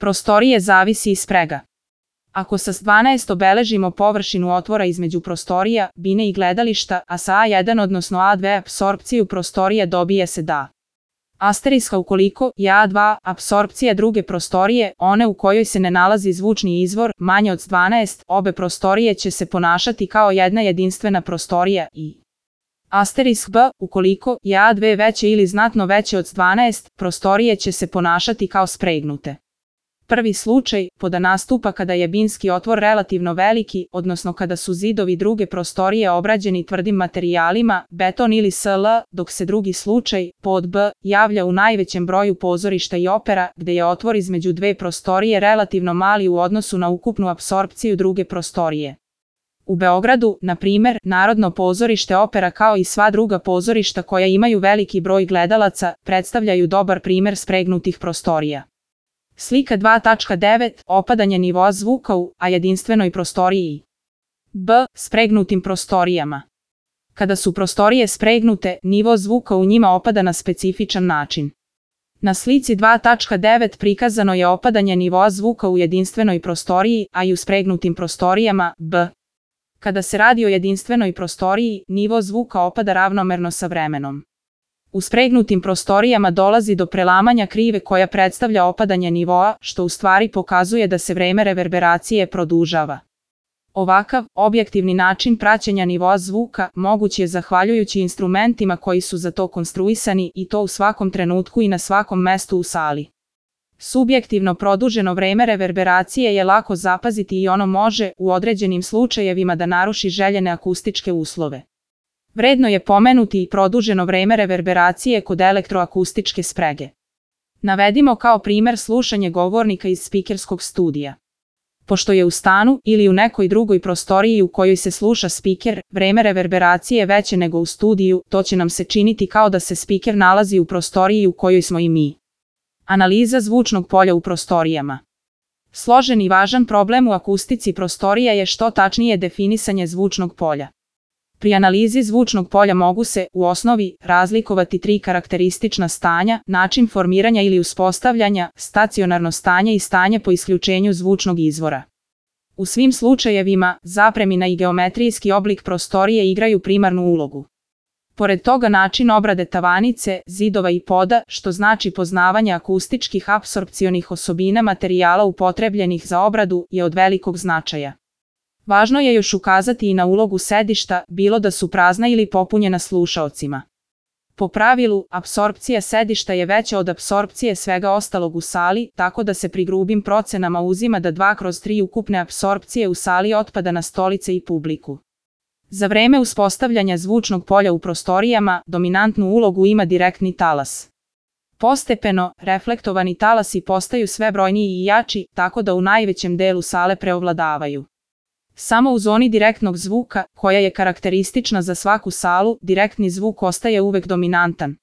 prostorije zavisi i sprega. Ako sa 12 obeležimo površinu otvora između prostorija, bine i gledališta, a sa A1 odnosno A2 apsorpciju prostorije dobije se da. Asteriska ukoliko je A2 apsorpcija druge prostorije, one u kojoj se ne nalazi zvučni izvor, manje od 12, obe prostorije će se ponašati kao jedna jedinstvena prostorija i asterisk B, ukoliko je A2 veće ili znatno veće od 12, prostorije će se ponašati kao spregnute. Prvi slučaj, poda nastupa kada je binski otvor relativno veliki, odnosno kada su zidovi druge prostorije obrađeni tvrdim materijalima, beton ili SL, dok se drugi slučaj, pod B, javlja u najvećem broju pozorišta i opera, gde je otvor između dve prostorije relativno mali u odnosu na ukupnu apsorpciju druge prostorije. U Beogradu, na primer, Narodno pozorište opera kao i sva druga pozorišta koja imaju veliki broj gledalaca, predstavljaju dobar primer spregnutih prostorija. Slika 2.9. Opadanje nivoa zvuka u a jedinstvenoj prostoriji. B. Spregnutim prostorijama. Kada su prostorije spregnute, nivo zvuka u njima opada na specifičan način. Na slici 2.9 prikazano je opadanje nivoa zvuka u jedinstvenoj prostoriji, a i u spregnutim prostorijama, B. Kada se radi o jedinstvenoj prostoriji, nivo zvuka opada ravnomerno sa vremenom. U spregnutim prostorijama dolazi do prelamanja krive koja predstavlja opadanje nivoa, što u stvari pokazuje da se vreme reverberacije produžava. Ovakav, objektivni način praćenja nivoa zvuka moguć je zahvaljujući instrumentima koji su za to konstruisani i to u svakom trenutku i na svakom mestu u sali. Subjektivno produženo vreme reverberacije je lako zapaziti i ono može, u određenim slučajevima, da naruši željene akustičke uslove. Vredno je pomenuti i produženo vreme reverberacije kod elektroakustičke sprege. Navedimo kao primer slušanje govornika iz spikerskog studija. Pošto je u stanu ili u nekoj drugoj prostoriji u kojoj se sluša spiker, vreme reverberacije veće nego u studiju, to će nam se činiti kao da se spiker nalazi u prostoriji u kojoj smo i mi. Analiza zvučnog polja u prostorijama. Složen i važan problem u akustici prostorija je što tačnije definisanje zvučnog polja. Pri analizi zvučnog polja mogu se, u osnovi, razlikovati tri karakteristična stanja, način formiranja ili uspostavljanja, stacionarno stanje i stanje po isključenju zvučnog izvora. U svim slučajevima, zapremina i geometrijski oblik prostorije igraju primarnu ulogu. Pored toga način obrade tavanice, zidova i poda, što znači poznavanje akustičkih apsorpcionih osobina materijala upotrebljenih za obradu, je od velikog značaja. Važno je još ukazati i na ulogu sedišta, bilo da su prazna ili popunjena slušaocima. Po pravilu, apsorpcija sedišta je veća od apsorpcije svega ostalog u sali, tako da se pri grubim procenama uzima da 2/3 ukupne apsorpcije u sali otpada na stolice i publiku. Za vreme uspostavljanja zvučnog polja u prostorijama, dominantnu ulogu ima direktni talas. Postepeno, reflektovani talasi postaju sve brojniji i jači, tako da u najvećem delu sale preovladavaju. Samo u zoni direktnog zvuka, koja je karakteristična za svaku salu, direktni zvuk ostaje uvek dominantan,